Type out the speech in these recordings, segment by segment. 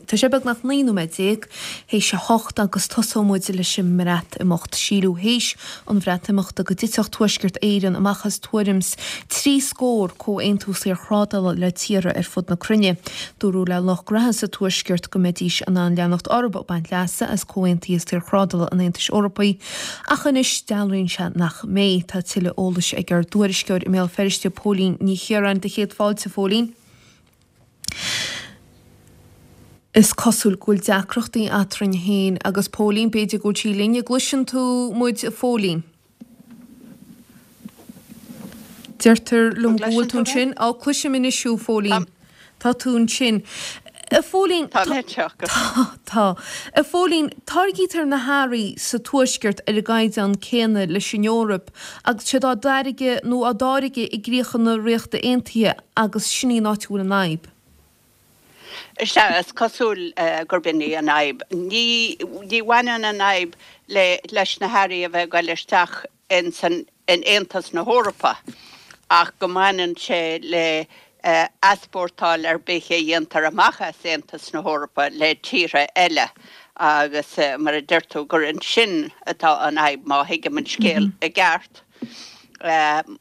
Tá sé beagnach 19 nóiméad théis a hocht agus tosóidh muid leis an mBreatimeacht. Síleadh théis an Bhreatimeachta go dtitfeadh Tuaisceart Éireann amach as tuairim's 30 scór comhaontú saorthrádála le tíortha ar fud na cruinne. Dúradh le lucht graithe sa Tuaisceart go mbeidís in ann leanacht orthu ag baint leasa as comhaontuithe saorthrádála an Aontais Eorpaigh ach anois dealraíonn sé nach mbeidh. Tá tuilleadh eolais ag ár dtuairisceoir i mBéal Feirste, Póilín Ní Chiaráin. Do chéad fáilte, a Phóilín. Is cosúil go bhfuil deacrachtaí eadrainn féin agus Póilín, b'fhéidir go bhfuil sí linn. An gcloiseann tú muid a Phóilín? Deirtear liom go bhfuil tú ansin. Á, cloisim anois thú, a Phóilín. Tá tú ansin. A Phóilín, Tá mé anseo. Tá, tá. A Phóilín, táirgítear na hearraí sa Tuaisceart ar an gcaighdeán céanna leis an Eoraip agus siad á dtáirgeadh nó á dtáirgeadh i gcríocha na Ríochta Aontaithe agus sin í an áit a bhfuil an fhadhb. Sea, is cosúil gurb in í an fhadhb. Ní, ní bhaineann an fhadhb le, leis na hearraí a bheith ag goil isteach in san, in Aontas na hEorpa ach go mbaineann sé le easpórtáil ar bith a dhéantar amach as Aontas na hEorpa le tíortha eile agus mar a deir tú gur ansin atá an fhadhb má thuigim an scéal i gceart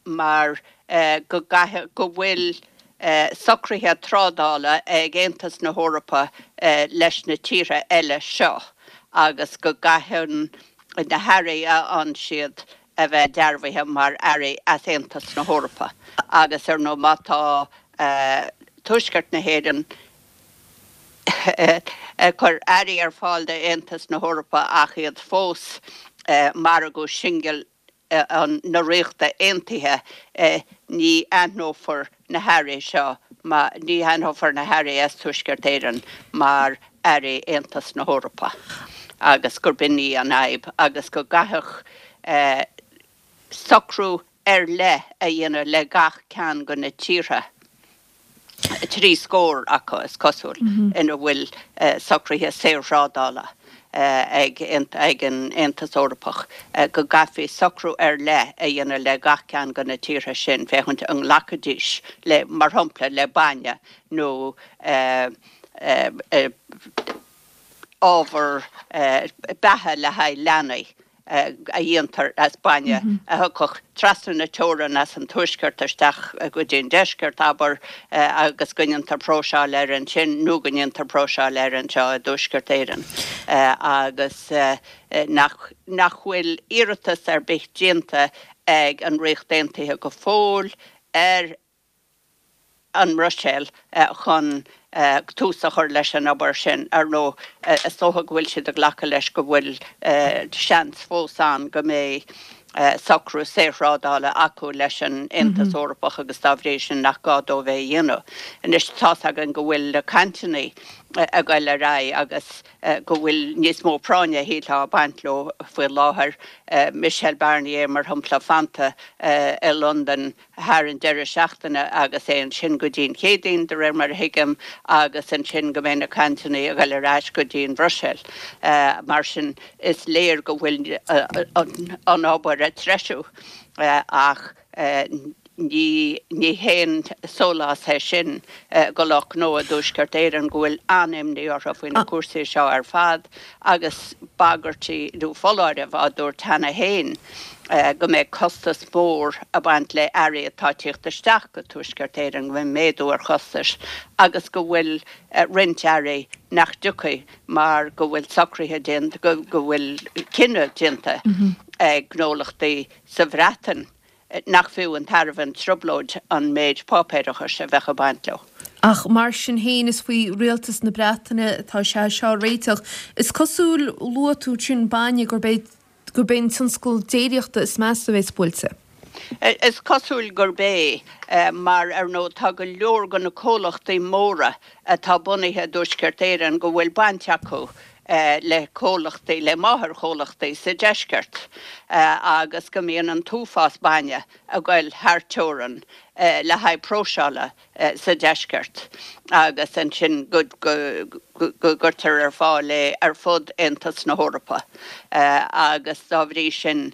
mar go gcaithfidh, go bhfuil socruithe trádála ag Aontas na hEorpa leis na tíortha eile seo agus go gcaitheann na hearraí a fhaigheann siad a bheith dearbhaithe mar earraí as Aontas na hEorpa agus ar ndóigh má tá Tuaisceart na hÉireann ag cur earraí ar fáil d'Aontas na hEorpa ach iad fós margadh singil na Ríochta Aontaithe, ní aithneofar na hearraí seo, ní aithneofar na hearraí as Tuaisceart Éireann mar earraí Aontas na hEorpa agus gurb in í an fhadhb agus go gcaithfeadh socrú ar leith a dhéanamh le gach ceann de na tíortha. 30 scór acu, is cosúil, ina bhfuil socruithe saorthrádála ag an Aontas Eorpach, go gcaithfí socrú ar leith a dhéanamh le gach ceann de na tíortha sin féachaint an nglacfaidís le, mar shampla, le bainne nó ábhar beatha le haghaidh leanaí a dhéantar as bainne a thiocfadh trasna na teorann as an tuaisceart isteach go dtí an deisceart, abair, agus go ndéantar próiseáil air ansin nó go ndéantar próiseáil air anseo i dTuaisceart Éireann agus nach nach bhfuil iarratas ar bith déanta ag an Ríocht Aontaithe go fóill ar an mBruiséil chun tús a chur leis an obair sin. Ar ndóigh, is dócha go bhfuil siad ag glacadh leis go bhfuil seans fós ann go mbeidh socrú saorthrádála acu leis an Aontas Eorpach agus dá bhrí sin nach gá dóibh é a dhéanamh. Anois, tá's againn go bhfuil na cainteanna ag goil ar aghaidh agus go bhfuil níos mó práinne, shílfeá, ag baint leo faoi láthair. Michel Barnier, mar shampla, fanta i Londain thar an deireadh seachtaine agus é ansin go dtí an Chéadaoin, de réir mar a thuigim, agus ansin go mbeidh na cainteanna ag dul ar ais go dtí an Bhruiséil. Mar sin, is léir go bhfuil an obair ag treisiú ach ní ní haon sólás é sin do lucht gnó i dTuaisceart Éireann go bhfuil an-imní orthu faoi na cúrsaí seo ar fad agus bagairtí nó foláirimh á dtabhairt cheana féin go mbeidh costas mór ag baint le earraí atá ag tíocht isteach go Tuaisceart Éireann, go mbeidh méadú ar chostais agus go bhfuil roinnt earraí nach dtiocfaidh mar go bhfuil socruithe déanta, go bhfuil cinneadh déanta ag gnólachtaí sa Bhreatain nach fiú an tairbhe an trioblóid an méid páipéarachais a bheadh ag baint leo. Ach mar sin féin, is faoi rialtas na Breataine atá sé seo a réiteach. Is cosúil, luaigh tú ansin bainne, gurb é gurb é an tionscal déiríochta is measa a bheas buailte. Is cosúil gurb é, mar ar ndóigh tá go leor de na comhlachtaí móra atá bunaithe i dTuaisceart Éireann go bhfuil baint acu le comhlachtaí, le máthairchomhlachtaí sa deisceart agus go mbíonn an t-uafás bainne ag goil thar teorainn le haghaidh próiseála sa deisceart agus ansin go gcuirtear ar fáil é ar fud Aontas na hEorpa agus dá bhrí sin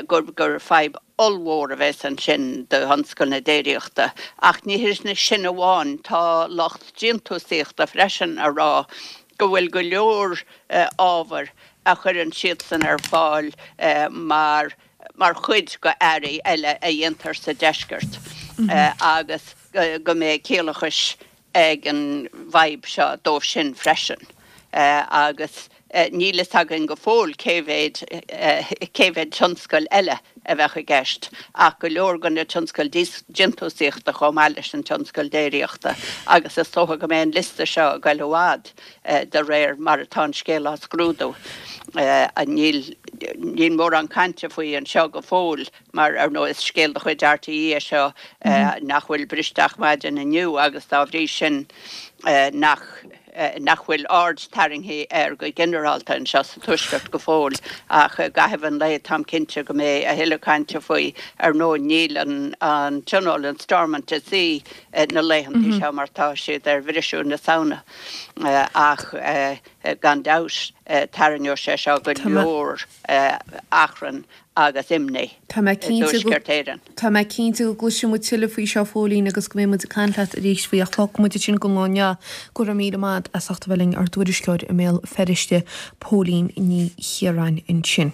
gur fadhb ollmhór a bheas ansin do thionscal na déiríochta. Ach ní hé sin amháin, tá lucht déantúsaíochta freisin ag rá. go bhfuil go leor ábhair a chuireann siadsan ar fáil mar mar chuid go earraí eile a dhéantar sa deisceart agus go mbeidh ciallachais ag an bhfadhb seo dóibh sin freisin agus níl fhios againn go fóill cé mhéid cé mhéid tionscal eile a bheadh i gceist ach go leor de na tionscail déantúsaíochta chomh maith leis an tionscal déiríochta agus is dócha go mbeidh an liosta seo ag goil i bhfad de réir mar atá an scéal á scrúdú. Níl níl mórán cainte faoi anseo go fóill mar, ar ndóigh, is scéal de chuid RTÉ é seo nach bhfuil briste ach maidin inniu agus dá bhrí sin nach nach bhfuil aird tarraingthe air go ginearálta anseo sa Tuaisceart go fóill. Ach i gcaitheamh an lae táim cinnte go mbeidh a thuilleadh cainte faoi. Ar ndóigh níl an an Tionól in Stormont i suí na laethanta seo mar tá siad ar bhriseadh na Samhna ach gan dabht tarraingeoidh sé seo go leor achrann agus imní Tá mé i dTuaisceart Éireann. Tá mé cinnte go gcloisfidh muid tuilleadh faoi seo, a Phóilín, agus go mbeidh muid ag caint leat arís faoi ach fágfaidh muid ansin don lá inniu. Go raibh míle maith agat as ucht a bheith linn, ár dtuairisceoir i mBéal Feirste, Póilín Ní Chiaráin ansin.